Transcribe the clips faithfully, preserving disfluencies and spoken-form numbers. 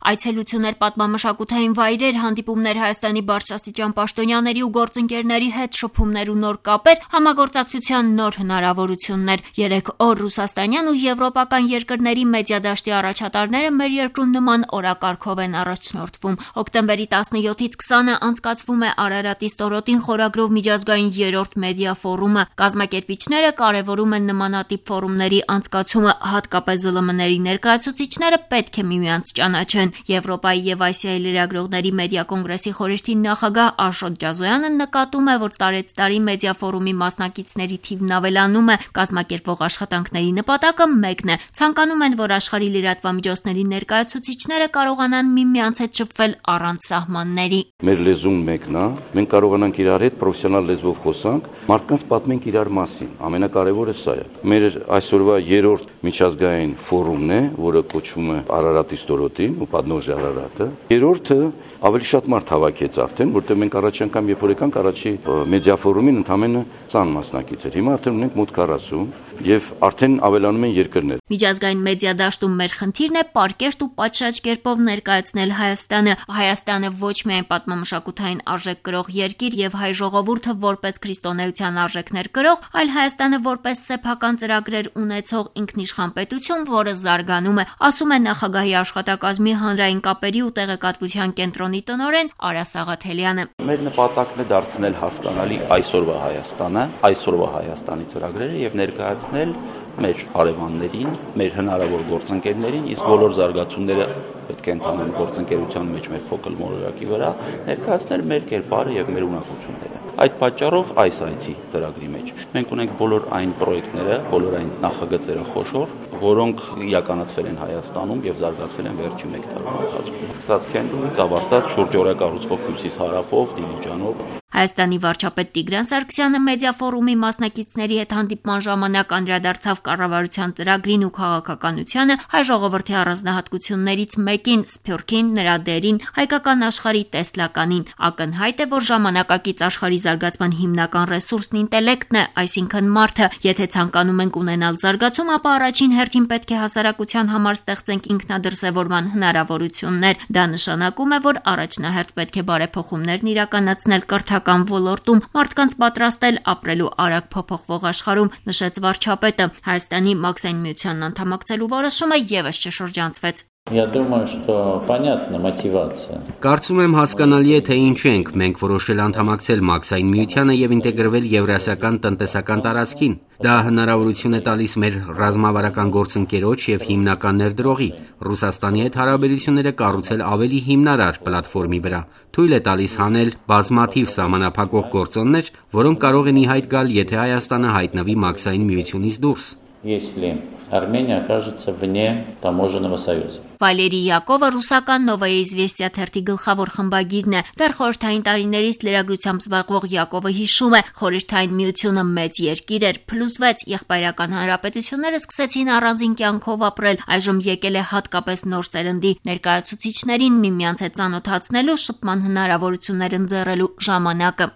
Այցելություններ, պատմամշակութային վայրեր, հանդիպումներ Հայաստանի բարձրաստիճան պաշտոնյաների ու գործընկերների հետ, շփումներ ու նոր կապեր, համագործակցության նոր հնարավորություններ։ Երեք օր ռուսաստանյան ու եվրոպական երկրների մեդիա դաշտի առաջատարները մեր երկրում նման օրակարգով են առաջնորդվում։ Հոկտեմբերի տասնյոթից քսանը անցկացվում է Արարատի ստորոտին խորագրով միջազգային երրորդ մեդիա ֆորումը։ Կազմակերպիչները կարևորում են նմանատիպ ֆորումների անցկացումը, հատկապես ԶԼՄ-ների ներկայացուցիչները պետք է միմյանց ճանաչեն։ Եվրոպայի եւ Ասիայի լրագրողների մեդիա կոնգրեսի խորհրդի նախագահ Աշոտ Ջազոյանը նկատում է, որ տարեցտարի մեդիա ֆորումի մասնակիցների թիվն ավելանում է, կազմակերպվող աշխատանքների նպատակը մեկն է։ Ցանկանում են, որ աշխարհի լրատվամիջոցների ներկայացուցիչները կարողանան միմյանց հետ շփվել առանց սահմանների։ Մեր լեզուն մեկն է, մենք կարողանանք իրար հետ պրոֆեսիոնալ լեզվով խոսանք, մարդկանց պատմենք իրար մասին։ Ամենակարևորը սա է։ Մեր այսօրվա երրորդ միջազգային ֆորումն է, որը կոչվում է Արարատի ստորոտին ու Падնոժի Արարատը։ Երրորդը ավելի շատ մարդ հավաքեց արդեն, որտեղ մենք առաջ անգամ երբ որ եկանք առաջի մեդիա ֆորումին ընդամենը տասը մասնակից էր։ Հիմա արդեն ունենք մոտ քառասուն եւ արդեն ավելանում են երկրներ։ Միջազգային մեդիա դաշտում մեր խնդիրն է պարկեշտ ու պատշաճ կերպով ներկայացնել Հայաստանը։ Հայաստանը ոչ միայն պատմամշակութային արժեք կրող երկիր եւ հայ ժողովուրդը որպես քրիստոնեության արժեքներ կրող, այլ Հայաստանը որպես սեփական ծրագրեր ունեցող ինքնիշխան պետություն, որը զարգանում է, ասում է նախագահի աշխատակազմի հանրային կապերի ու տեղեկատվության կենտրոնի տնօրեն Արա Սաղաթելյանը։ Մեր նպատակն է դարձնել հասկանալի այսօրվա Հայաստանը, այսօրվա Հայաստանի ծրագրերը եւ ներկայացնել մեր հարևաններին, մեր հնարավոր գործընկերներին, իսկ բոլոր զարգացումները պետք է ընդհանրեն գործընկերության մեջ մեր փոքր մոլորակի վրա, ներկայացնել մեր կերպարը եւ մեր ունակությունները։ Այդ պատճառով այս այցի ծրագրի մեջ մենք ունենք բոլոր այն պրոյեկտները, բոլոր այն նախագծերը խոշոր, որոնք իրականացվել են Հայաստանում եւ զարգացել են վերջին մեկ տարվա ընթացքում։ Սկսած Քենդուից ավարտած շուրջօրյա կառուցվող Հյուսիս-հարավով, Դիլիջանով։ Հայաստանի վարչապետ Տիգրան Սարգսյանը մեդիա ֆորումի մասնակիցների հետ հանդիպման ժամանակ անդրադարձավ կառավարության ծրագրին ու քաղաքականությանը, հայ ժողովրդի առանձնահատկություններից մեկին, Սփյուռքին, նրա դերին, հայկական աշխարհի տեսլականին։ Ակնհայտ է, որ ժամանակակից աշխարհի զարգացման հիմնական ռեսուրսն ինտելեկտն է, այսինքն մարդը։ Եթե ցանկանում ենք ունենալ զարգացում, ապա առաջին հերթին պետք է հասարակության համար ստեղծենք ինքնադրսևորման հնարավորություններ։ Դա նշանակում է, որ առաջնահերթ պետք է բարեփոխումներն իրականացնել կրթական ոլորտում, մարդկանց պատրաստել ապրելու արագ փոփոխվող աշխարհում, նշեց վարչապետը։ Հայաստանի Մաքսային միությանն անդամակցելու որոշումը ևս չշրջանցվեց։ Я думаю, что понятна мотивация. Կարծում եմ հասկանալի է, թե ինչ ենք մենք որոշել անդամակցել Մաքսային միությանը եւ ինտեգրվել Եվրասիական տնտեսական տարածքին։ Դա հնարավորություն է տալիս մեր ռազմավարական գործընկերոջ եւ հիմնական ներդրողի Ռուսաստանի հետ հարաբերությունները կառուցել ավելի հիմնարար պլատֆորմի վրա։ Թույլ է տալիս հանել բազմաթիվ սահմանափակող գործոններ, որոնք կարող են ի հայտ գալ, եթե Հայաստանը հայտնվի Մաքսային միությունից դուրս։ Если Армения окажется вне таможенного союза. Վալերի Յակովը ռուսական Նովոյե Իզվեստիա թերթի գլխավոր խմբագիրն է։ Դեռ խորհրդային տարիներից լրագրությամբ զբաղվող Յակովը հիշում է, խորհրդային միությունը մեծ երկիր էր, փլուզվեց, եղբայրական հանրապետությունները սկսեցին առանձին կյանքով ապրել, այժմ եկել է հատկապես նոր սերնդի ներկայացուցիչներին միմյանց հետ ծանոթացնելու, շփման հնարավորություններ ընձեռելու ժամանակը։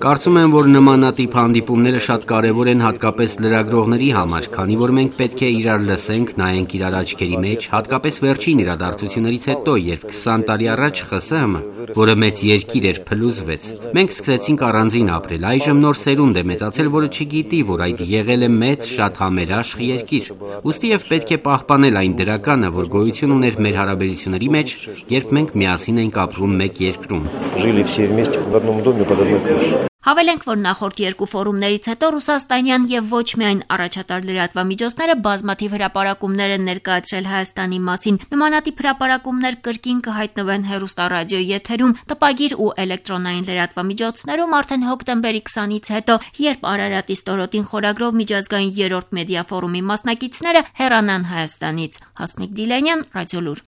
Կարծում եմ, որ նմանատիպ հանդիպումները շատ կարևոր են հատկապես լրագրողների համար, քանի որ մենք պետք է իրար լսենք, նայենք իրար աչքերի մեջ, հատկապես վերջին իրադարձություններից հետո, երբ քսան տարի առաջ ԽՍՀՄ, որը մեծ երկիր էր, փլուզվեց։ Մենք սկսեցինք առանձին ապրել, այժմ նոր սերունդ է մեծացել, որը չգիտի, որ այդ եղել է մեծ, շատ համերաշխ երկիր։ Ուստի եւ պետք է պահպանել այն դրականը, որ գոյություն ուներ մեր հարաբերությունների մեջ, երբ մենք միասին ենք ապրում մեկ երկրում։ Հավելենք, որ նախորդ երկու ֆորումներից հետո ռուսաստանյան եւ ոչ միայն առաջատար լրատվամիջոցները բազմաթիվ հրապարակումներ են ներկայացրել Հայաստանի մասին։ Նմանատիպ հրապարակումներ կրկին կհայտնվեն հեռուստառադիոյի եթերում, տպագիր ու էլեկտրոնային լրատվամիջոցներում արդեն հոկտեմբերի քսանից հետո, երբ Արարատի ստորոտին խորագրով միջազգային երրորդ մեդիա ֆորումի մասնակիցները հեռանան Հայաստանից։ Հասմիկ Դիլանյան, Ռադիոլուր։